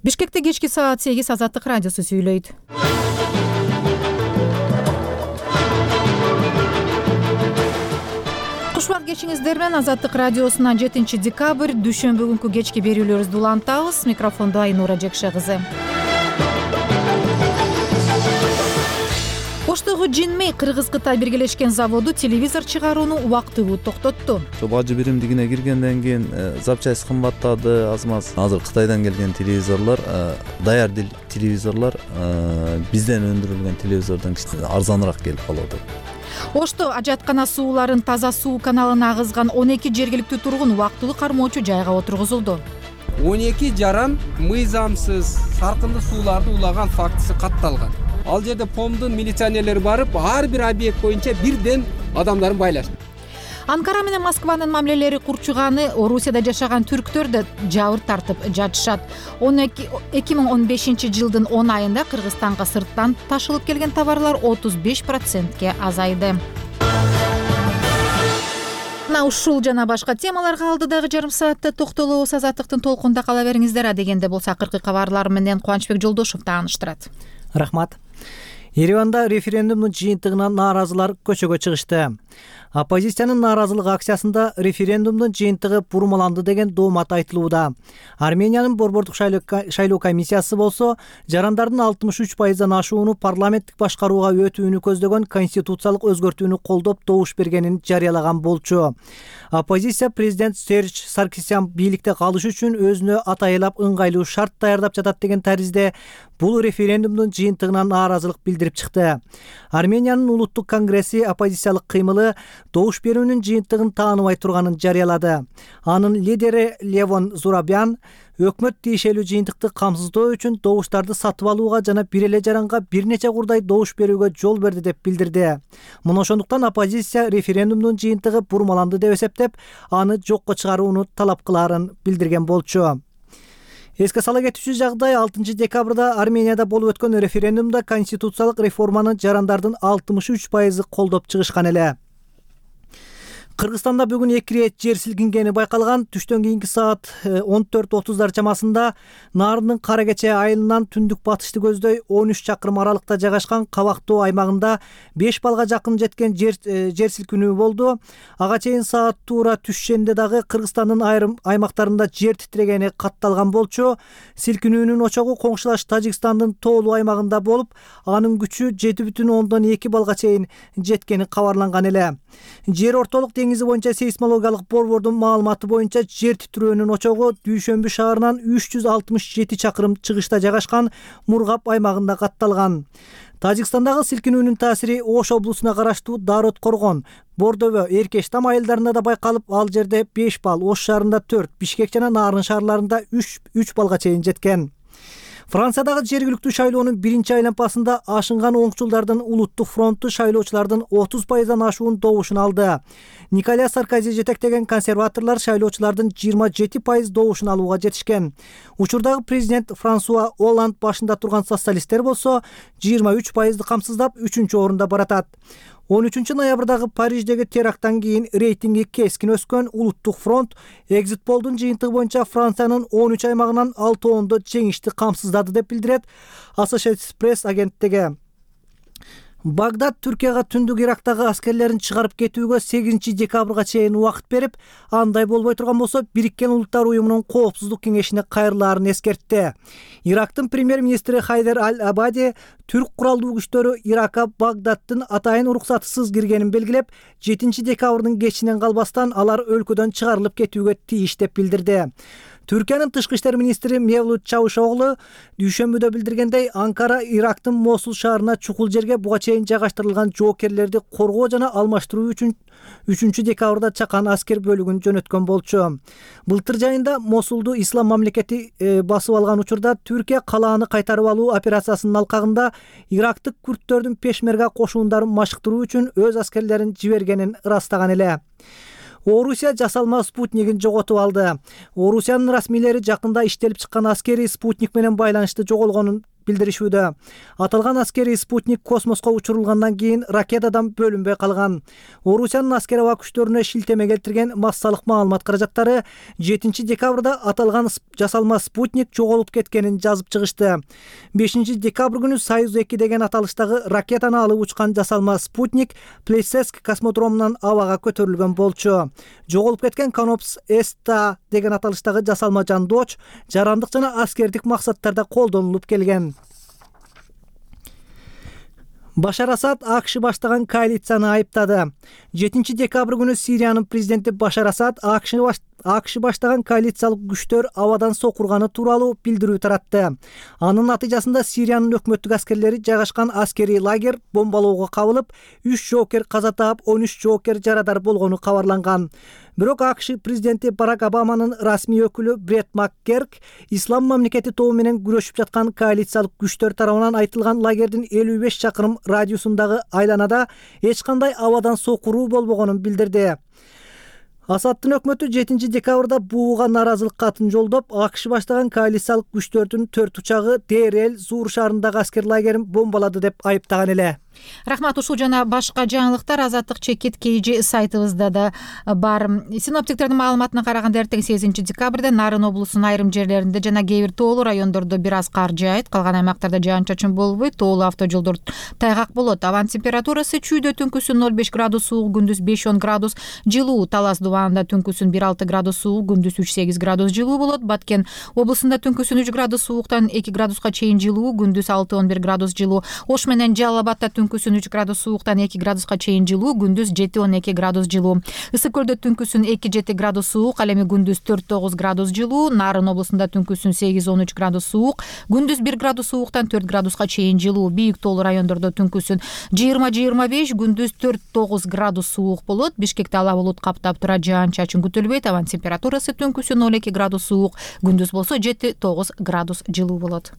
Бишкекте кечки саат 8 Азаттык радиосу сүйлөйт. Кушбак кечиңиздер менен Азаттык радиосунан 7 декабрь дүйшөмбү күнкү кечки берүүлөрүбүздү улантабыз. Микрофондо Айнура Жекше кызы. Оштогу Jinmei Кыргыз-Кытай биргелешкен заводу телевизор чыгарууну убактылуу токтотту. Бажы биримдигине киргенден кийин запчасть кымбаттады, аз-маз. Азыр Кытайдан келген телевизорлор, даяр телевизорлор бизден өндүрүлгөн телевизордон арзаныраак келип калат. Ошто ажаткана сууларын таза суу каналына агызган 12 жергиликтүү тургун убактылуу кармоочу жайга отургузулду. 12 жаран мыйзамсыз саркынды сууларды улаган фактысы катталган. Ал жерде ПОМдун милиционерлери барып, ар бир объект боюнча бирден адамдарын байлашты. Анкара менен Москванын мамилелери курчуганы Орусияда жашаган түрктөр да жабыр тартып жатышат. 2015 жылдын 10 айында Кыргызстанга сырттан ташылып келген товарлар 35%ке азайды. Ушул жана башка темаларга алдыдагы жарым саатта токтолобуз. Азаттыктын толкунда кала бериңиздер. Адегенде болсо акыркы кабарлар менен Кубанычбек Жолдошев тааныштырат. Рахмат. Ереванда референдумдун жыйынтыгынан нааразылар көчөгө чыгышты. Оппозициянын нааразылык акциясында референдумдун жыйынтыгы бурмаланды деген доомат айтылууда. Армениянын борбордук шайлоо комиссиясы болсо жарандардын 63%дан ашууну парламенттик башкарууга өтүүнү көздөгөн конституциялык өзгөртүүнү колдоп добуш бергенин жарыялаган болчу. Оппозиция президент Серж Саркисян бийликте калыш үчүн өзүнө атайылап ыңгайлуу шарт даярдап жатат деген таризде бул референдумдун жыйынтыгынан нааразылык билдирип чыкты. Армениянын улуттук конгресси оппозициялык кыймылы добуш берүүнүн жыйынтыгын тааныбай турганын жарыялады. Анын лидери Левон Зурабян өкмөт тиешелүү жыйынтыкты камсыздоо үчүн добуштарды сатып алууга жана бир эле жаранга бир нече курдай добуш берүүгө жол берди деп билдирди. Мына ошондуктан оппозиция референдумдун жыйынтыгы бурмаланды деп эсептеп, аны жокко чыгарууну талап кылаарын билдирген болчу. Эске сала кетүүчү жагдай 6 декабрда Арменияда болуп өткөн референдумда конституциялык реформаны жарандардын 63% колдоп чыгышкан эле. Кыргызстанда бүгүн 2 рет жер силкингени байкалган. Түштөн кийинки саат 14:30 чамасында Нарындын Каракече айылынан түндүк батышты көздөй 13 чакырым аралыкта жайгашкан Кабактоо аймагында 5 балга жакын жеткен жер силкинүү болду. Ага чейин саат туура түшкөндө дагы Кыргызстандын айрым аймактарында жер титрегени катталган болчу. Силкинүүнүн очогу коңшулаш Тажикстандын тоолуу аймагында болуп, анын күчү 7,2 балга чейин жеткени кабарланган эле. Жер ортолук деңизи боюнча сейсмологиялык борбордун маалыматы боюнча жер титирөөнүн очогу Дүйшөмбү шаарынан 367 чакырым чыгышта жайгашкан Мургап аймагында катталган. Тажикстандагы силкинүүнүн таасири Ош облусуна караштуу Дарот Коргон, Бордобө, Эркештам айылдарында да байкалып, ал жерде 5 балл, Ош шаарында 4, Бишкек жана Нарын шаарларында 3 балга чейин жеткен. Франциядагы жергиликтүү шайлоонун биринчи айлампасында ашынган оңчулдардын улуттук фронту шайлоочулардын 30%дан ашуун добушун алды. Николя Саркози жетектеген консерваторлор шайлоочулардын 27% добушун алууга жетишкен. Учурдагы президент Франсуа Олланд башында турган социалисттер болсо 23%ды камсыздап 3-орунда баратат. 13 ноябрдагы Париждеги теракттан кийин рейтинги кескин өскөн улуттук фронт экзит полдун жыйынтыгы боюнча Франциянын 13 аймагынан 6-ондо жеңишти камсыздады деп билдирет Associated Press агенттиги. Багдад Түркияга түндүк Ирактагы аскерлерин чыгарып кетүүгө 8 декабрга чейин убакыт берип, андай болбой турган болсо Бириккен Улуттар уюмунун коопсуздук кеңешине кайрылаарын эскертти. Ирактын премьер-министри Хайдер Аль-Абади түрк куралдуу күчтөрү Иракка Багдадтын атайын уруксатысыз киргенин белгилеп, 7 декабрдын кечинен калбастан алар өлкөдөн чыгарылып кетүүгө тийиш деп билдирди. Түркиянын тышкы иштер министри Мевлут Чавушоглу дүйшөмбүдө билдиргендей, Анкара Ирактын Мосул шаарына чукул жерге буга чейин жайгаштырылган жоокерлерди коргоо жана алмаштыруу үчүн 3 декабрда чакан аскер бөлүгүн жөнөткөн болчу. Былтыр жайында Мосулду ислам мамлекети басып алган учурда Түркия калааны кайтарып алуу операциясынын алкагында ирактык күрттөрдүн пешмерга кошуундарын машыктыруу үчүн өз аскерлерин жибергенин ырастаган эле. Орусия жасалма спутнигин жоготуп алды. Орусиянын расмийлери жакында иштелип чыккан аскери спутник менен байланышты жоголгонун билдиришүүдө. Аталган аскерий спутник космоско учурулгандан кийин ракетадан бөлүнбөй калган. Орусиянын аскер аба күчтөрүнө шилтеме келтирген массалык маалымат каражаттары 7 декабрда аталган жасалма спутник жоголуп кеткенин жазып чыгышты. 5 декабрь күнү Союз-2 деген аталыштагы ракетаны алып учкан жасалма спутник Плесецк космодромунан абага көтөрүлгөн болчу. Жоголуп кеткен Канопс Эста деген аталыштагы жасалма жандооч жарандык жана аскердик максаттарда колдонулуп келген. Башар Асад АКШ баштаган коалицияны айыптады. 7 декабрь күнү Сириянын президенти Башар Асад АКШ баштаган коалициялык күчтөр абадан сокурганы тууралуу билдирүү таратты. Анын натыйжасында Сириянын өкмөттүк аскерлери жайгашкан аскерий лагерь бомбалоого кабылып, 3 жоокер каза таап, 13 жоокер жарадар болгону кабарланган. Бирок АКШ президенти Барак Обаманын расмий өкүлү Брет Маккерк Ислам мамлекети тобу менен күрөшүп жаткан коалициялык күчтөр тарабынан айтылган лагердин 55 чакырым радиусундагы айланада эч кандай абадан сокуруу болбогонун билдирди. Асадтын өкмөтү 7 декабрда бууга нааразылык катын жолдоп, АКШ баштаган коалициялык күчтөрдүн 4 учагы Дейр Зур шаарындагы аскер лагерин бомбалады деп айыптаган эле. Рахмат. Ушул жана башка жаңылыктар Азаттык чекит KG сайтыбызда да бар. Синоптиктердин маалыматына караганда эртең 8 декабрда Нарын облусунун айрым жерлеринде жана кээ бир тоолуу райондордо бир аз кар жаайт, калган аймактарда жаан-чачын болбойт, тоолуу автожолдор тайгак болот. Абанын температурасы чүйдө түнкүсүн 0,5 градус суук, күндүз 5-10 градус жылуу, Талас дубанында түнкүсүн 1,6 градус суук, күндүз 3,8 градус жылуу болот. Баткен облусунда түнкүсүн 3 градус сууктан 2 градуска чейин жылуу, күндүз 6-11 градус жылуу. Ош менен Жалал Абадта түнкүсүн 3 градус сууктан 2 градуска чейин жылуу, күндүз 7-12 градус жылуу. Ысык көлдө түнкүсүн 2-7 градус суук, ал эми күндүз 4-9 градус жылуу. Нарын облусунда түнкүсүн 8-13 градус суук, күндүз 1 градус сууктан 4 градуска чейин жылуу. Бийик тоолуу райондордо түнкүсүн 20-25, күндүз 4-9 градус суук болот. Бишкекте ала булут каптап турат, жаан-чачын күтүлбөйт. Абанын температурасы түнкүсүн 0,2 градус суук, күндүз болсо 7-9 градус жылуу болот.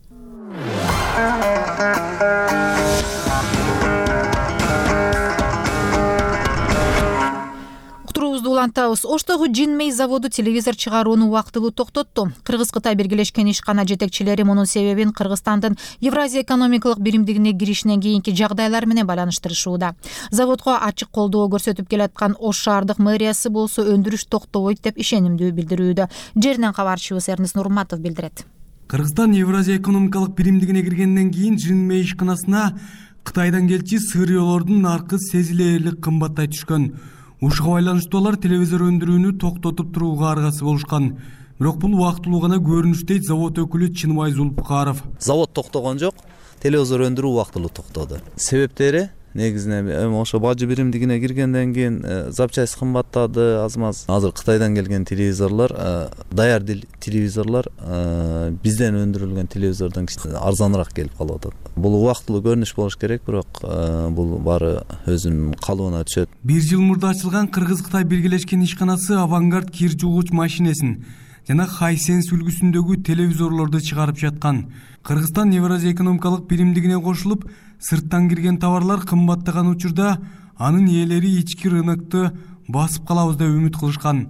Улантабыз. Оштогу Jinmei заводу телевизор чыгарууну убактылуу токтотту. Кыргыз-Кытай биргелешкен ишкана жетекчилери мунун себебин Кыргызстандын Евразия экономикалык биримдигине киришинен кийинки жагдайлар менен байланыштырышууда. Заводго ачык колдоо көрсөтүп келаткан Ош шаардык мэриясы болсо өндүрүш токтобойт деп ишенимдүү билдирүүдө. Жеринен кабарчыбыз Эрнис Нурматов билдирет. Кыргызстан Евразия экономикалык биримдигине киргенден кийин Jinmei ишканасына Кытайдан келчи сырьёолордун наркы сезилерлик кымбаттай түшкөн. Ушуга байланыштуу алар телевизор өндүрүүнү токтотуп турууга аргасы болушкан. Бирок бул убактылуу гана көрүнүш дейт завод өкүлү Чынбай Зулпукаров. Завод токтогон жок, телевизор өндүрүү убактылуу токтоду. Себептери негизинен ошо бажы биримдигине киргенден кийин запчасть кымбаттады аз маз. Азыр Кытайдан келген телевизорлор, даяр телевизорлор бизден өндүрүлгөн телевизордон арзаныраак келип калып атат. Бул убактылуу көрүнүш болуш керек, бирок бул баары өзүнүн калыбына түшөт. 1 жыл мурда ачылган Кыргыз-Кытай биргелешкен ишканасы Авангард кир жуугуч машинесин жана Хайсенс үлгүсүндөгү телевизорлорду чыгарып жаткан. Кыргызстан Евразия экономикалык биримдигине кошулуп, сырттан кирген товарлар кымбаттаган учурда анын ээлери ички рынокту басып калабыз деп үмүт кылышкан.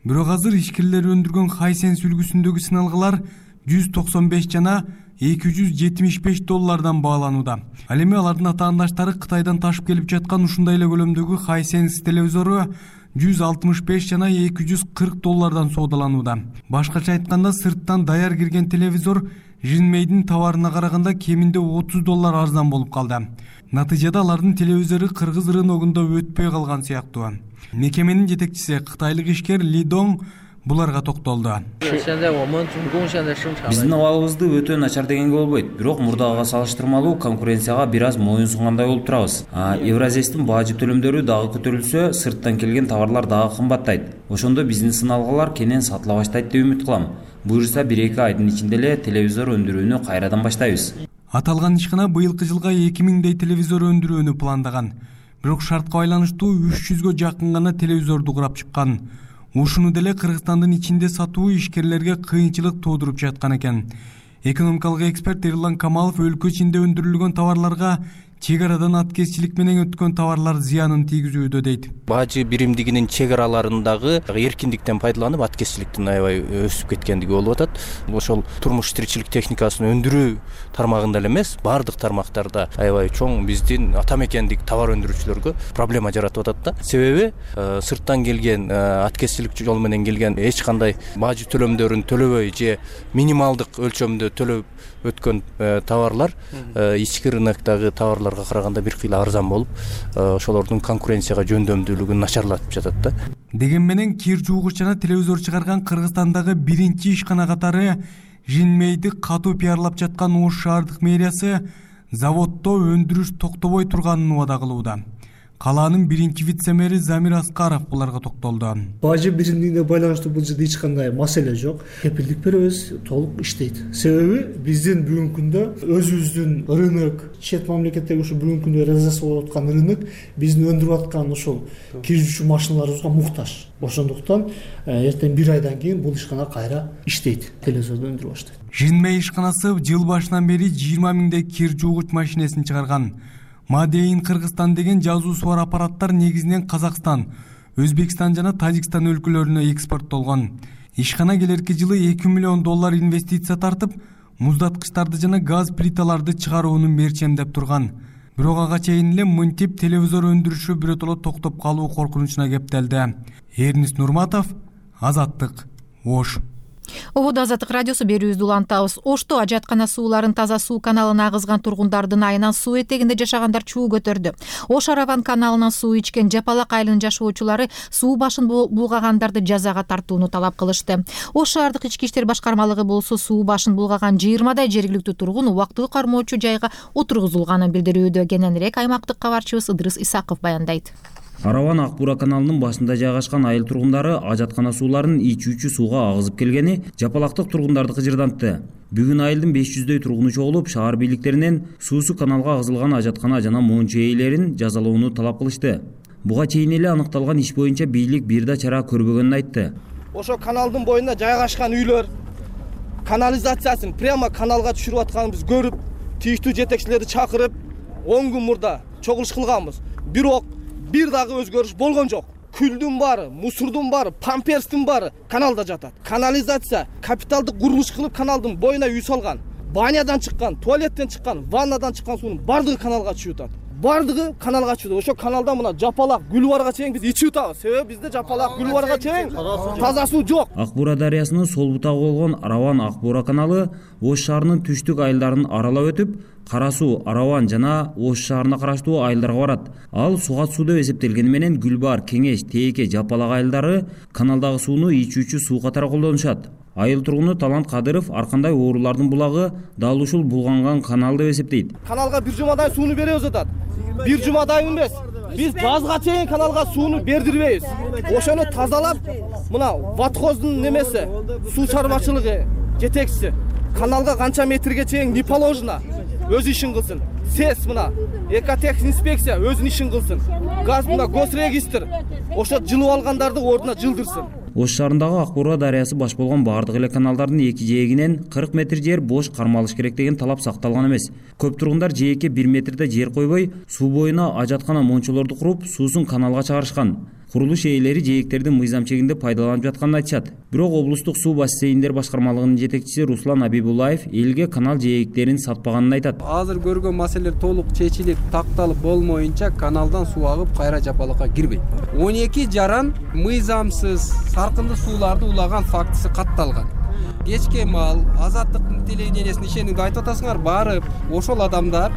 Бирок азыр ишкерлер өндүргөн Хайсенс үлгүсүндөгү сыналгылар 195 жана $275 бааланууда. Ал эми алардын атаандаштары Кытайдан ташып келип жаткан ушундай эле көлөмдөгү Хайсенс телевизору $165 жана $240 соодаланууда. Башкача айтканда, сырттан даяр кирген телевизор Jinmei'дин товарына караганда кеминде $30 арзан болуп калды. Натыйжада алардын телевизору кыргыз рыногунда өтпөй калган сыяктуу. Мекеменин жетекчиси кытайлык ишкер Ли Дong буларга токтолду. Биздин абалыбызды өтө начар дегенге болбойт, бирок мурдагыга салыштырмалуу конкуренцияга бир аз моюн сунгандай болуп турабыз. Евразиянын бажы төлөмдөрү дагы көтөрүлсө, сырттан келген товарлар дагы кымбаттайт. Ошондо биздин сыналгылар кенен сатыла баштайт деп үмүт кылам. Буюрса 1-2 айдын ичинде эле телевизор өндүрүүнү кайрадан баштайбыз. Аталган ишкана быйылкы жылга 2000 телевизор өндүрүүнү пландаган. Бирок шартка байланыштуу 300гө жакын гана телевизорду курап чыккан. Ушуну деле Кыргызстандын ичинде сатуу ишкерлерге кыйынчылык туудуруп жаткан экен. Экономикалык эксперт Эрлан Камалов өлкө ичинде өндүрүлгөн товарларга чек арадан аткезчилик менен өткөн товарлар зыянын тийгизүүдө дейт. Бажы биримдигинин чек араларындагы эркиндиктен пайдаланып аткезчиликтин аябай өсүп кеткендиги болуп атат. Ошол турмуш тиричилик техникасын өндүрүү тармагында эле эмес, баардык тармактарда аябай чоң биздин ата мекендик товар өндүрүүчүлөргө проблема жаратып атат да. Себеби сырттан келген аткезчилик жол менен келген эч кандай бажы төлөмдөрүн төлөбөй же минималдык өлчөмдө төлөп өткөн товарлар ички рыноктогу товарларга караганда бир кыйла арзан болуп, ошолордун конкуренцияга жөндөмдүүлүгүн начарлатып жатат да. Деген менен кир жуугуч жана телевизор чыгарган Кыргызстандагы биринчи ишкана катары Жинмейди катуу пиарлап жаткан Ош шаардык мэриясы заводдо өндүрүш токтобой турганын убада кылууда. Калаанын биринчи вице-мэри Замир Аскаров буларга токтолду. Бажы биримдигине байланыштуу бул жерде эч кандай маселе жок. Кепилдик беребиз, толук иштейт. Себеби биздин бүгүнкү күндө өзүбүздүн рынок, чет мамлекеттеги ушу бүгүнкү күндө реализация болуп аткан рынок биздин өндүрүп аткан ушул кирүүчү машиналарыбызга муктаж. Ошондуктан эртең бир айдан кийин бул ишкана кайра иштейт, телевизорду өндүрүп баштайт. Жинмей ишканасы жыл башынан бери 20 миңдей кир жуугуч машинесин чыгарган. Мадейин Кыргызстан деген жазуусу бар аппараттар негизинен Казакстан, Өзбекстан жана Тажикстан өлкөлөрүнө экспорттолгон. Ишкана келерки жылы $2 миллион инвестиция тартып, муздаткычтарды жана газ плиталарды чыгарууну мерчемдеп турган. Бирок ага чейин эле мынтип телевизор өндүрүшү биротоло токтоп калуу коркунучуна кептелди. Эрнис Нурматов, Азаттык, Ош. Ободо Азаттык радиосу берүүбүздү улантабыз. Ошто ажаткана сууларын таза суу каналына агызган тургундардын айынан суу этегинде жашагандар чуу көтөрдү. Ош Араван каналынан суу ичкен Жапалак айылынын жашоочулары суу башын булгагандарды жазага тартууну талап кылышты. Ош шаардык ички иштер башкармалыгы болсо суу башын булгаган 20 жергиликтүү тургун убактылуу кармоочу жайга отургузулганын билдирүүдө. Кененирээк аймактык кабарчыбыз Ыдырыс Исаков баяндайт. Араван Акбура каналынын башында жайгашкан айыл тургундары ажаткана сууларын ичүүчү сууга агызып келгени жапалактык тургундарды кыжырдантты. Бүгүн айылдын 500дөй тургуну чогулуп, шаар бийликтеринен суусу каналга агызылган ажаткана жана мончу ээлерин жазалоону талап кылышты. Буга чейин эле аныкталган иш боюнча бийлик бир да чара көрбөгөнүн айтты. Ошо каналдын боюнда жайгашкан үйлөр канализациясын прямо каналга түшүрүп атканыбызды көрүп, тийиштүү жетекчилерди чакырып, 10 күн мурда чогулуш кылганбыз. Бирок бир дагы өзгөрүш болгон жок. Күлдүн баары, мусурдун баары, памперстин баары каналда жатат. Канализация капиталдык курулуш кылып каналдын боюна үй салган. Банядан чыккан, туалеттен чыккан, ваннадан чыккан суунун бардыгы каналга түшүп атат. Бардыгы каналга түшүп. Ошо каналда мына Жапалак, Гүлбарга чейин биз ичип атабыз. Себеби бизде Жапалак, Гүлбарга чейин таза суу жок. Акбура дарыясынын сол бутагы болгон Араван Акбура каналы Ош шаарынын түштүк айылдарын аралап өтүп, Кара суу, Араван жана Ош шаарына караштуу айылдарга барат. Ал сугат суу деп эсептелгени менен Гүлбар, Кеңеш, Тээке, Жапалак айылдары каналдагы сууну ичүүчү суу катары колдонушат. Айыл тургуну Талант Кадыров ар кандай оорулардын булагы дал ушул булганган канал деп эсептейт. Каналга бир жумадай сууну беребиз атат. Бир жумадай эмес. Биз жазга чейин каналга сууну бердирбейбиз. Ошону тазалап, мына Ватхоздун немеси, суу чарбачылыгы жетекчиси каналга канча метрге чейин не положено өз ишин кылсын. СЭС мына Экотех инспекция өзүнүн ишин кылсын. Газ мына Госрегистр ошо жылып алгандарды ордуна жылдырсын. Ош шаарындагы Акбура дарыясы баш болгон баардык эле каналдардын эки жээгинен 40 метр жер бош кармалыш керек деген талап сакталган эмес. Көп тургундар жээкке 1 метрде жер койбой, суу боюна ажаткана мончолорду куруп, суусун каналга чыгарышкан. Курулуш ээлери жээктердин мыйзам чегинде пайдаланып жатканын айтышат. Бирок облустук суу бассейндер башкармалыгынын жетекчиси Руслан Абибуллаев элге канал жээктерин сатпаганын айтат. Азыр көргөн маселелер толук чечилип, такталып болмоюнча каналдан суу агып кайра Жапалакка кирбейт. 12 жаран мыйзамсыз саркынды сууларды улаган фактысы катталган. Кечке маал Азаттыктын телевидениесине ишениңди айтып атасыңар, барып ошол адамдар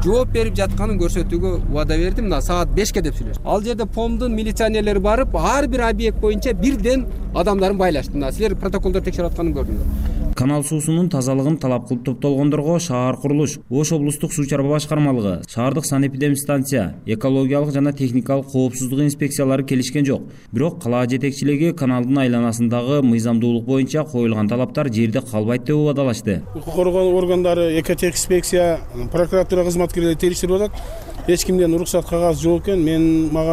жооп берип жатканын көрсөтүүгө убада бердим. Мына саат 5ке деп сүйлөшүп. Ал жерде ПОМдун милиционерлери барып, ар бир объект боюнча бирден адамдарын байлашты. Мына силер протоколдор текшерип атканын көрдүңөр. Канал суусунун тазалыгын талап кылып топтолгондорго шаар курулуш, Ош облустук суу чарба башкармалыгы, шаардык санэпидемстанция, экологиялык жана техникалык коопсуздук инспекциялары келишкен жок. Бирок кала жетекчилиги каналдын айланасындагы мыйзамдуулук боюнча коюлган талаптар жерде калбайт деп убадалашты. Укук коргоо органдары, Экотех инспекция, прокуратура кызматкерлери териштирип атат. эч кимден уруксат кагазы жок экен.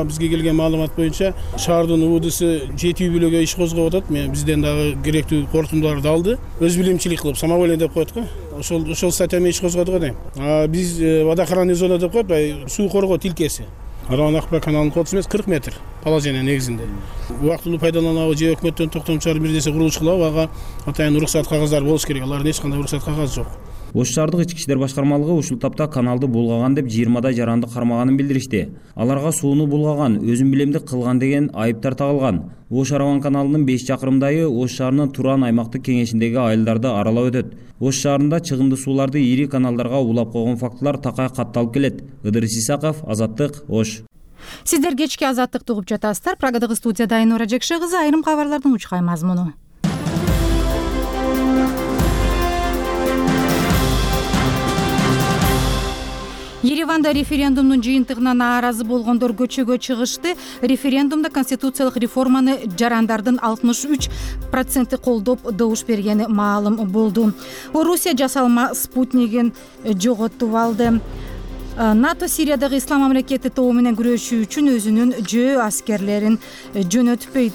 Бизге келген маалымат боюнча шаардын УВДсы жетүү бүлөгө иш козгоп атат. Бизден дагы керектүү кортундуларды алды. Өз билимчилик кылып самоволие деп коет го. Ошол статья менен иш козгодук да. Биз водоохранный зона деп коет, суу коргоо тилкеси. Акбар каналынын кодусу эмес 40 метр положение негизинде. Убактылуу пайдаланабы же өкмөттөн токтом чыгарып бир нерсе курулуш кылабы, ага атайын уруксат кагаздары болуш керек. Алардын эч кандай уруксат кагазы жок. Ош шаардык ички иштер башкармалыгы ушул тапта каналды булгаган деп 20 жаранды кармаганын билдиришти. Аларга сууну булгаган, өзүн билемдик кылган деген айыптар тагылган. Ош Араван каналынын 5 чакырымдайы Ош шаарынын Туран аймактык кеңешиндеги айылдарды аралап өтөт. Ош шаарында чыгымды сууларды ири каналдарга улап койгон фактылар такай катталып келет. Ыдырыс Исаков, Азаттык, Ош. Сиздер кечки Азаттыкты угуп жатасыздар. Прогадагы студияда Айнура Жекше кызы, айрым кабарлардын учкай мазмуну. Ереванда референдумдун жыйынтыгына нааразы болгондор көчөгө чыгышты. Референдумда конституциялык реформаны жарандардын 63% колдоп добуш бергени маалым болду. Орусия жасалма спутнигин жоготуп алды. НАТО Сириядагы ислам мамлекети тобу менен күрөшүү үчүн өзүнүн жөө аскерлерин жөнөтпөйт.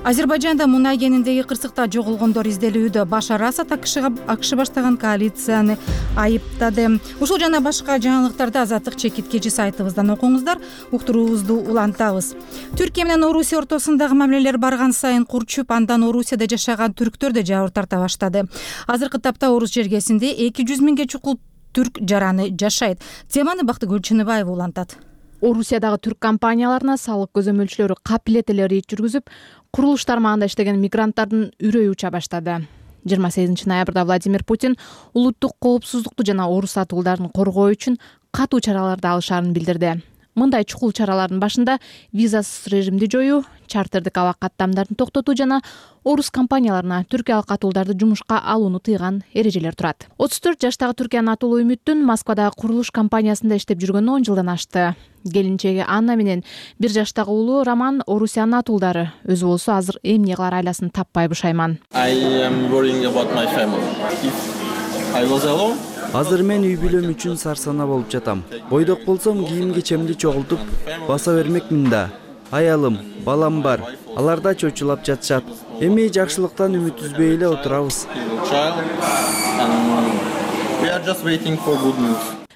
Азербайжанда мунай кениндеги кырсыкта жоголгондор изделүүдө. Башар Асад АКШ баштаган коалицияны айыптады. Ушул жана башка жаңылыктарды Азаттык чекиткечи сайтыбыздан окуңуздар. Уктуруубузду улантабыз. Түркия менен Орусия ортосундагы мамилелер барган сайын курчуп, андан Орусияда жашаган түрктөр да жабыр тарта баштады. Азыркы тапта Орус жергесинде 200 миңге чукул түрк жараны жашайт. Теманы Бактыгүл Чыныбаева улантат. Орусиядагы түрк компанияларына салык көзөмөлчүлөрү капилет эле рейд жүргүзүп, курулуш тармагында иштеген мигранттардын үрөйү уча баштады. 28 ноябрда Владимир Путин улуттук коопсуздукту жана орус атуулдарын коргоо үчүн катуу чараларды алышаарын билдирди. Мындай чукул чаралардын башында визасыз режимди жоюу, чартердик аба каттамдарын токтотуу жана орус компанияларына түркиялык атуулдарды жумушка алууну тыйган эрежелер турат. 34 жаштагы Түркиянын атуулуу Үмүттүн Москвадагы курулуш компаниясында иштеп жүргөнүнө 10 жылдан ашты. Келинчеги Анна менен 1 жаштагы уулу Роман Орусиянын атуулдары. Өзү болсо азыр эмне кылар айласын таппай бушайман. Азыр мен үй бүлөм үчүн сарсана болуп жатам. Бойдок болсом кийим кечемди чогултуп баса бермекмин да. Аялым, балам бар. Алар да чочулап жатышат. Эми жакшылыктан үмүт үзбөй эле отурабыз.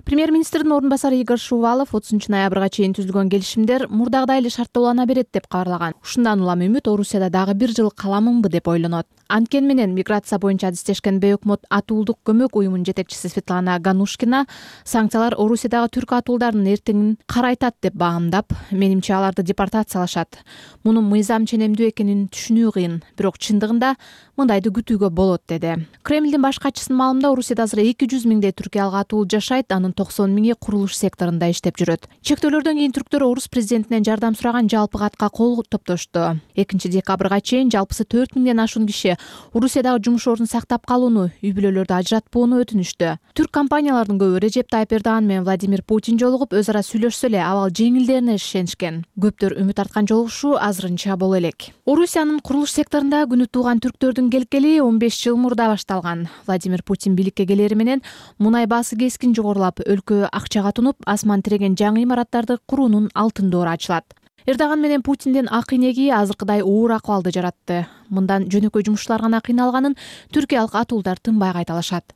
Премьер-министрдин орун басары Игорь Шувалов 30 ноябрга чейин түзүлгөн келишимдер мурдагыдай эле шарттуулана берет деп кабарлаган. Ушундан улам Үмүт Орусияда дагы 1 жыл каламынбы деп ойлонот. Анткени менен миграция боюнча адистешкен Бейөкмөт атуулдук көмөк уюмунун жетекчиси Светлана Ганушкина санкциялар Орусиядагы түрк атуулдарынын эртеңин карайтат деп баамдап, менимче аларды депортациялашат. Мунун мыйзам ченемдүү экенин түшүнүү кыйын, бирок чындыгында мындайды күтүүгө болот деди. Кремлдин баш катчысынын маалымында Орусияда азыр 200 миңдей түркиялык атуул жашайт, анын 90 миңи курулуш секторунда иштеп жүрөт. Чектөөлөрдөн кийин түрктөр орус президентинен жардам сураган жалпы катка кол топтошту. 2 декабрга чейин жалпысы 4 миңден ашуун киши Орусиядагы жумуш ордун сактап калууну, үй бүлөлөрдү ажыратпоону өтүнүштү. Түрк компанияларынын көбү Режеп Тайып Эрдоган менен Владимир Путин жолугуп, өз ара сүйлөшсө эле абал жеңилдерине ишенишкен. Көптөр үмүт арткан жолугушуу азырынча боло элек. Орусиянын курулуш секторунда күнү тууган түрктөрдүн келгели 15 жыл мурда башталган. Владимир Путин бийликке келери менен мунай баасы кескин жогорулап, өлкө акчага тунуп, асман тиреген жаңы имараттарды куруунун алтын доору ачылат. Эрдоган менен Путиндин ак инеги азыркыдай оор акыбалды жаратты. Мындан жөнөкөй жумушчулар гана кыйналганын түркиялык атуулдар тынбай кайталашат.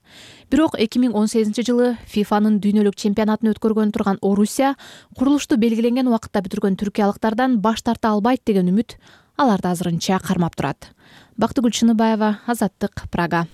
Бирок 2018 жылы ФИФАнын дүйнөлүк чемпионатын өткөргөн турган Орусия курулушту белгиленген убакытта бүтүргөн түркиялыктардан баш тарта албайт деген үмүт аларды азырынча кармап турат. Бактыгүл Чыныбаева, Азаттык, Прага.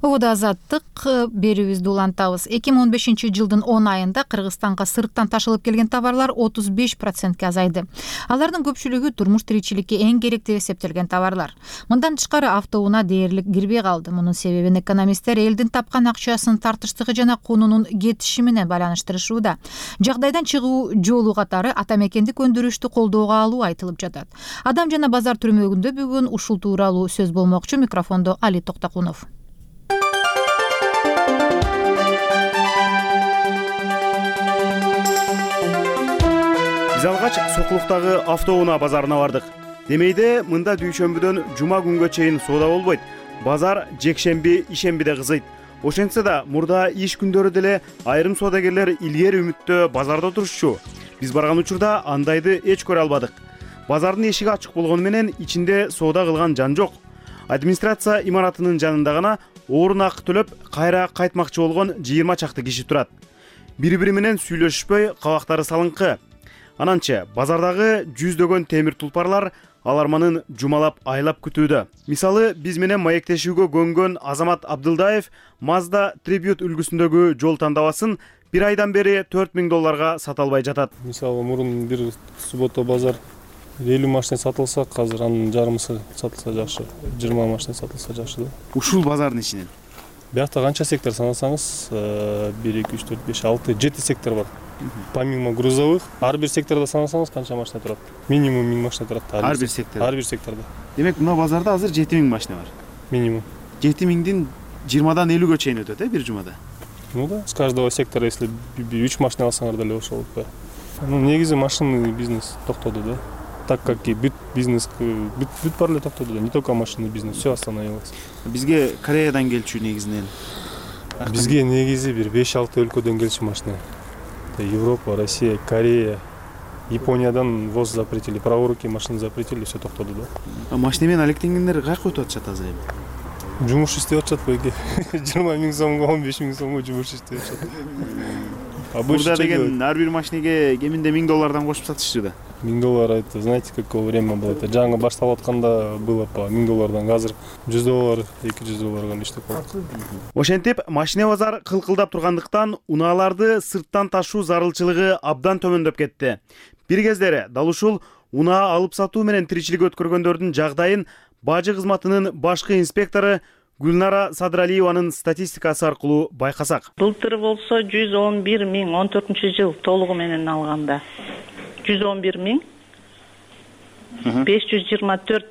Обода Азаттык берүүбүздү улантабыз. 2015 жылдын 10 айында Кыргызстанга сырттан ташылып келген товарлар 35%ке азайды. Алардын көпчүлүгү турмуш тиричиликке эң керектүү эсептелген товарлар. Мындан тышкары автоунаа дээрлик кирбей калды. Мунун себебин экономисттер элдин тапкан акчасынын тартыштыгы жана кунунун кетиши менен байланыштырышууда. Жагдайдан чыгуу жолу катары ата мекендик өндүрүштү колдоого алуу айтылып жатат. Адам жана базар түрмөгүндө бүгүн ушул тууралуу сөз болмокчу. Микрофондо Али Токтакунов. Биз алгач Сокулуктагы автоунаа базарына бардык. Демейде мында дүйшөмбүдөн жума күнгө чейин соода болбойт. Базар жекшемби, ишембиде кызыйт. Ошентсе да мурда иш күндөрү деле айрым соодагерлер илгери үмүттө базарда отурушчу. Биз барган учурда андайды эч көрө албадык. Базардын эшиги ачык болгону менен ичинде соода кылган жан жок. Администрация имаратынын жанында гана орун акы төлөп кайра кайтмакчы болгон 20 чакты киши турат. Бири-бири менен сүйлөшүшпөй, кабактары салыңкы. Ананчы базардагы жүздөгөн темир тулпарлар аларманын жумалап айлап күтүүдө. Мисалы, биз менен маектешүүгө көнгөн Азамат Абдылдаев Mazda Tribute үлгүсүндөгү жол тандабасын 1 айдан бери $4000 сата албай жатат. Мисалы, мурун бир суббота базар 50 машина сатылса, азыр анын жарымысы сатылса жакшы, 20 машина сатылса жакшы да. Ушул базардын ичинен Биякта канча сектор санасаңыз, 1, 2, 3, 4, 5, 6, 7 сектор бар. Помимо грузовых, ар бир сектордо санасаңыз канча машина турат? Минимум 1000 машина турат. Ар бир сектордо. Ар бир сектордо. Демек, мына базарда азыр 7000 машина бар. Минимум. 7000дин 20дан 50гө чейин өтөт, бир жумада. Ну да, с каждого сектора, если 3 машина алсаңар деле ошол. Ну, негизи машинный бизнес токтоду да. Так как и бүт бизнес, бүт бар эле токтоду да, не только машинный бизнес, все остановилось. Бизге Кореядан келчү негизинен. Бизге негизи бир 5-6 өлкөдөн келчү машина. Европа, Россия, Корея, Япониядан ввоз запретили, праворуки машина запретили, все токтоду да. Машина менен алектенгендер кайка өтүп атышат азыр эми? Жумуш иштеп атышат байке. 20 000 сомго, 15 000 сомго жумуш иштеп атышат. Бурда деген ар бир машинеге кеминде $1000 кошуп сатышчу да. $1000, это знаете, какое время было? Это жаңы башталып атканда было по $1000, азыр $100, $200 иштеп калат. Ошентип, машина базар кылкылдап тургандыктан унааларды сырттан ташуу зарылчылыгы абдан төмөндөп кетти. Бир кездери дал ушул унаа алып сатуу менен тиричилик өткөргөндөрдүн жагдайын бажы кызматынын башкы инспектору Гүлнара Садралиеванын статистикасы аркылуу байкасак. Былтыр болсо 111 000, 14-жыл толугу менен алганда 111 524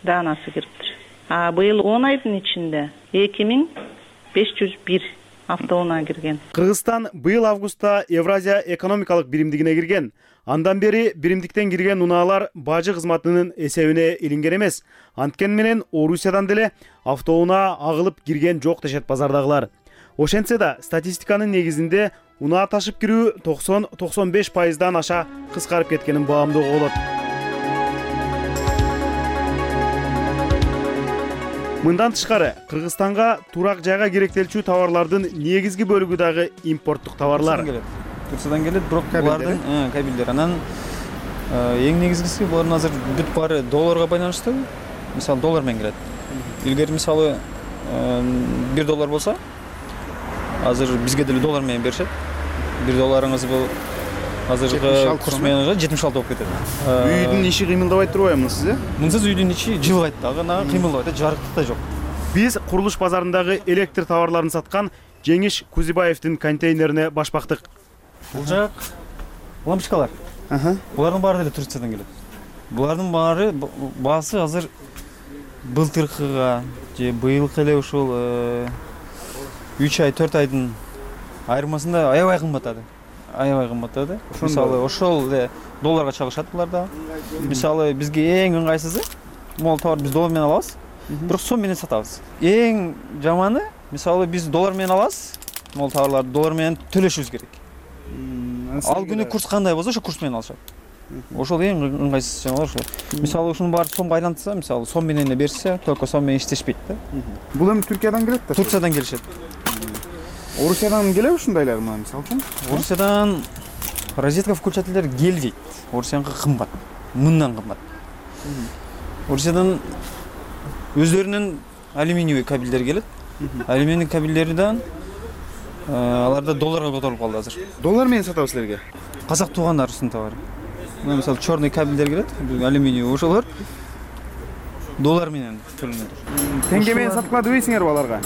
данасы кириптир. А быйыл 10 айдын ичинде 2501 автоунаа кирген. Кыргызстан быйыл августта Евразия экономикалык биримдигине кирген. Андан бери биримдиктен кирген унаалар бажы кызматынын эсебине илинген эмес. Анткени менен Орусиядан деле автоунаа агылып кирген жок дешет базардагылар. Ошентсе да статистиканын негизинде унаа ташып кирүү 90-95% аша кыскарып кеткенин баамдоого болот. Мындан тышкары Кыргызстанга турак жайга керектелчү товарлардын негизги бөлүгү дагы импорттук товарлар. Турциядан келет, бирок булардын кабелдер. Анан эң негизгиси булардын азыр бүт баары долларга байланыштуу. Мисалы доллар менен келет. Илгери мисалы $1 болсо, азыр бизге деле доллар менен беришет. $1 бул азыркы курс менен 76 болуп кетет. Үйдүн иши кыймылдабай турбайбы сиз? Мынсыз үйдүн ичи жылбайт дагы, кыймылдабайт, жарыктык да жок. Биз курулуш базарындагы электр товарларын саткан Жеңиш Кузибаевдин контейнерине башпактык. Бул жак лампочкалар. Булардын баары деле Турциядан келет. Булардын баары баасы азыр былтыркыга же быйылкы эле ушул 3 ай 4 айдын айырмасында аябай кымбаттады. Мисалы ошол эле долларга чалышат буларда. Мисалы бизге эң ыңгайсызы могул товар биз доллар менен алабыз, бирок сом менен сатабыз. Эң жаманы мисалы биз доллар менен алабыз, могул товарларды доллар менен төлөшүбүз керек. Ал күнү курс кандай болсо ошо курс менен алышат. Ошол эң ыңгайсыз жаман ошол. Мисалы ушунун баары сомго айлантса, мисалы сом менен эле берсе, только сом менен иштешпейт да. Бул эми Түркиядан келет да? Турциядан келишет. Орусиядан келеби ушундайлар мына мисалы үчүн? Орусиядан розетка включательдер келбейт. Орусияныкы кымбат. Мындан кымбат. Орусиядан өздөрүнүн алюминиевый кабелдер келет. Алюминий кабелдерден аларда долларга которуп калды азыр. Доллар менен сатабыз силерге? Казак туугандарыбыздын товары. Мына мисалы черный кабелдер келет, алюминиевый ошолор доллар менен төлөнөт. Теңге менен саткыла дебейсиңерби аларга?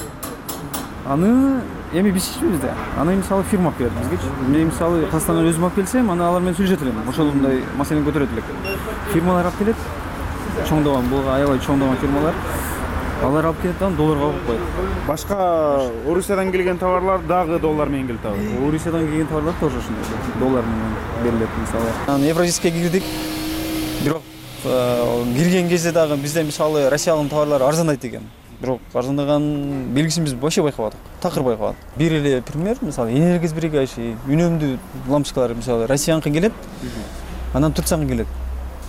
Аны эми биз ичпейбиз да. Аны мисалы фирма берет бизге. Мен мисалы Казакстандан өзүм алып келсем, аны алар менен сүйлөшөт элем. Ошондой маселени көтөрөт элек. Фирмалар алып келет. Чоңдогон, бул аябай чоңдогон фирмалар. Алар алып келет, аны долларга алып коет. Башка Орусиядан келген товарлар дагы доллар менен келет абы. Орусиядан келген товарлар тоже ошондой. Доллар менен берилет мисалы. Аны Евразийскке кирдик. Бирок кирген кезде дагы бизде мисалы Россиянын товарлары арзандайт экен. бирок арзандаган белгисин биз вообще байкабадык, такыр байкабадык. Бир эле пример, мисалы энергосберегающий үнөмдүү лампочкалар мисалы Россияныкы келет, анан Турцияныкы келет.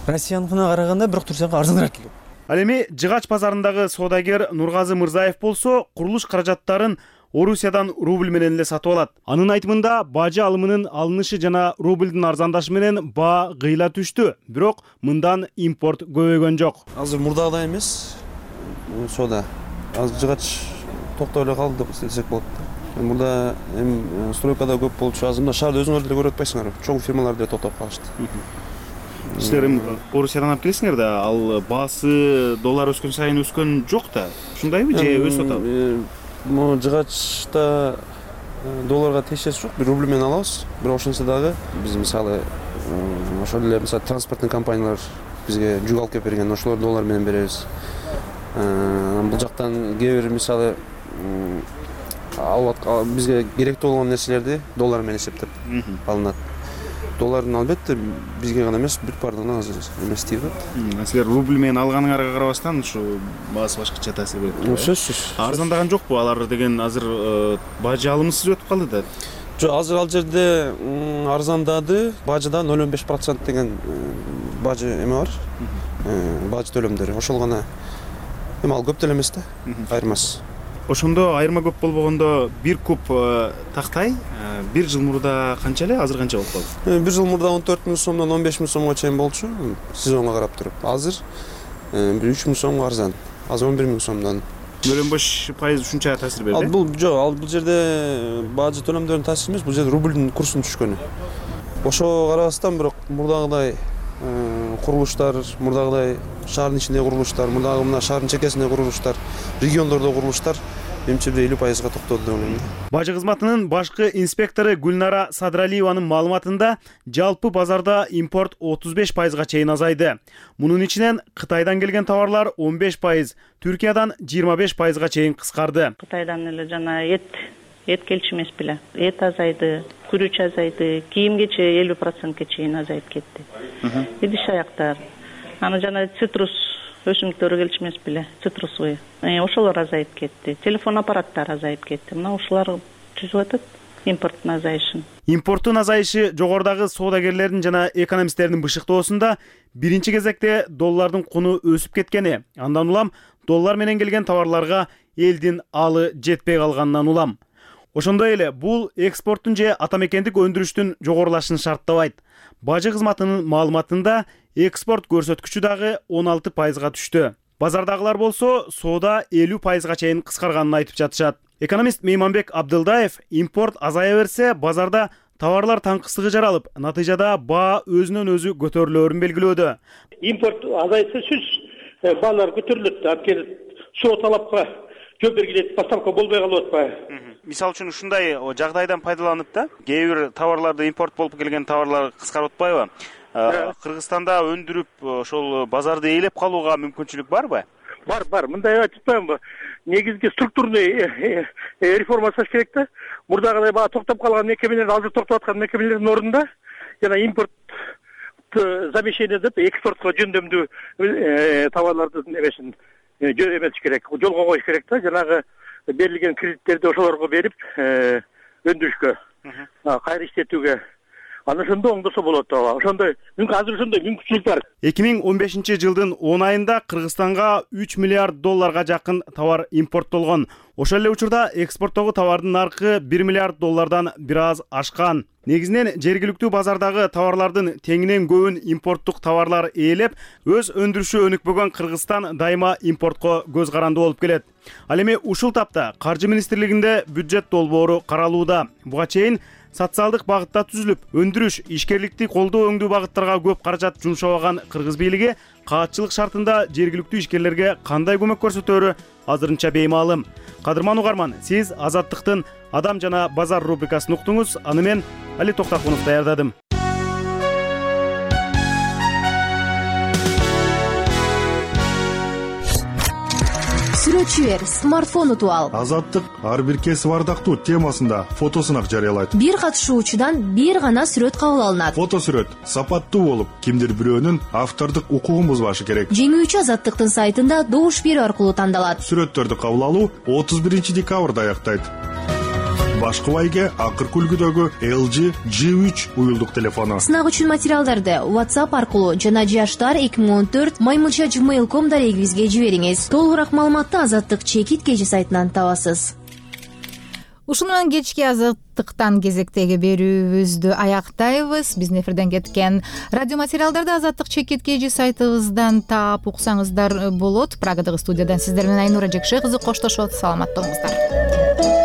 Россияныкына караганда бирок Турцияныкы арзаныраак келет. Ал эми Жыгач базарындагы соодагер Нургазы Мырзаев болсо курулуш каражаттарын Орусиядан рубль менен эле сатып алат. Анын айтымында бажы алымынын алынышы жана рубльдин арзандашы менен баа кыйла түштү, бирок мындан импорт көбөйгөн жок. Азыр мурдагыдай эмес соода. Азыр Жыгач токтоп эле калды деп десек болот. Мурда эми стройкада көп болчу, азыр мына шаарда өзүңөр деле көрүп атпайсыңарбы? Чоң фирмалар деле токтоп калышты. Силер эми Орусиядан алып келесиңер да, ал баасы доллар өскөн сайын өскөн жок да. Ушундайбы же өсүп атабы? Могу Жыгачта долларга тиешеси жок, рубль менен алабыз. Бирок ошонсо дагы биз мисалы ошол эле мисалы транспорттун компаниялар бизге жүк алып келип берген, ошолор доллар менен беребиз. Бул жактан кээ бир мисалы бизге керектүү болгон нерселерди доллар менен эсептеп алынат. Доллардын албетте бизге гана эмес, бүт бардыгына азыр эмес тийип атат. Силер рубль менен алганыңарга карабастан ушу баасы башкача таасир берет. Сөзсүз. Арзандаган жокпу алар деген азыр бажы алымсыз өтүп калды да. Жок, азыр ал жерде арзандады, бажыда 0,5% деген бажы эме бар. Бажы төлөмдөрү. Ошол гана эми ал көп деле эмес да, айырмасы. Ошондо айырма көп болбогондо бир куб тактай бир жыл мурда канча эле, азыр канча болуп калды? Бир жыл мурда 14 000 сомдон 15 000 сомго чейин болчу, сезонго карап туруп. Азыр бир 3 000 сомго арзан. Азыр 11 000 сомдон. 0,5% ушунча таасир берди. Бул жок, бул жерде бажы төлөмдөрүнүн таасири эмес, бул жерде рубльдин курсунун түшкөнү. Ошого карабастан бирок мурдагыдай курулуштар, мурдагыдай шаардын ичиндеги курулуштар, мурдагы мына шаардын чекесиндеги курулуштар, региондордо курулуштар менимче 50%га токтоду деп ойлойм. Бажы кызматынын башкы инспектору Гүлнара Садралиеванын маалыматында жалпы базарда импорт 35%га чейин азайды. Мунун ичинен Кытайдан келген товарлар 15%, Түркиядан 25%га чейин кыскарды. Кытайдан эле жана эт келчү эмес беле. Эт азайды, күрүч азайды, кийимгече 50%га чейин азайып кетти. Идиш аяктар. Аны жана цитрус өсүмдүктөрү келчү эмес беле, цитрусовый. Ошолор азайып кетти. Телефон аппараттары азайып кетти. Мына ушулар түзүп атат импорттун азайышын. Импорттун азайышы жогорудагы соодагерлердин жана экономисттердин бышыктоосунда биринчи кезекте доллардын куну өсүп кеткени, андан улам доллар менен келген товарларга элдин алы жетпей калганынан улам. Ошондой эле бул экспорттун же атамекендик өндүрүштүн жогорулашын шарттабайт. Бажы кызматынын маалыматында экспорт көрсөткүчү дагы 16%га түштү. Базардагылар болсо соода 50%га чейин кыскарганын айтып жатышат. Экономист Мейманбек Абдылдаев импорт азая берсе, базарда товарлар таңкысыгы жаралып, натыйжада баа өзүнөн өзү көтөрүлөөрүн белгилөөдө. Импорт азайса сөз баалар көтөрүлөт, анткени соо талапка жооп бергилет, поставка болбой калып атпайбы? Мисалы үчүн ушундай жагдайдан пайдаланып да, кээ бир товарларды импорт болуп келген товарлар кыскарып атпайбы? Кыргызстанда өндүрүп ошол базарды ээлеп калууга мүмкүнчүлүк барбы? Бар. Мындай айтып атпаймынбы? Негизги структурный реформа жасаш керек да. Мурдагыдай баа токтоп калган мекемелер, азыр токтоп аткан мекемелердин ордунда жана импорт замещение деп экспортко жөндөмдүү товарлардын эмесин эмес керек, жолго коюш керек да. Жанагы берилген кредиттерди ошолорго берип өндүрүшкө, кайра иштетүүгө. Аны ошондо оңдосо болот ооба. Ошондой азыр ошондой мүмкүнчүлүк бар. 2015 жылдын 10 айында Кыргызстанга 3 миллиард долларга жакын товар импорттолгон. Ошол эле учурда экспорттогу товардын наркы 1 миллиард доллардан бир аз ашкан. Негизинен жергиликтүү базардагы товарлардын теңинен көбүн импорттук товарлар ээлеп, өз өндүрүшү өнүкпөгөн Кыргызстан дайыма импортко көз каранды болуп келет. Ал эми ушул тапта Каржы министрлигинде бюджет долбоору каралууда. Буга чейин социалдык багытта түзүлүп, өндүрүш, ишкерликти колдоо өңдүү багыттарга көп каражат жумшабаган Кыргыз бийлиги каатчылык шартында жергиликтүү ишкерлерге кандай көмөк көрсөтөөрү азырынча беймаалым. Кадырман угарман, сиз Азаттыктын Адам жана базар рубрикасын уктуңуз. Аны мен Али Токтакунов даярдадым. Сүрөт сүрөтчү бер, смартфон утуп ал. Азаттык ар бир кесип ардактуу темасында фотосунак жарыялайт. Бир катышуучудан бир гана сүрөт кабыл алынат. Фото сүрөт сапаттуу болуп, кимдир бирөөнүн автордук укугун бузбашы керек. Жеңүүчү Азаттыктын сайтында добуш берүү аркылуу тандалат. Сүрөттөрдү кабыл алуу 31 декабрда аяктайт. Башкы байге акыркы үлгүдөгү LG G3 уюлдук телефону. Сынак үчүн материалдарды WhatsApp аркылуу жана jashtar2014@gmail.com дарегибизге жибериңиз. Толугураак маалыматты Азаттык чекит KG сайтынан табасыз. Ушуну менен кечки Азаттыктан кезектеги берүүбүздү аяктайбыз. Биздин эфирден кеткен радио материалдарды Азаттык чекит KG сайтыбыздан таап уксаңыздар болот. Прагадагы студиядан сиздер менен Айнура Жекше кызы коштошот. Саламатта болуңуздар.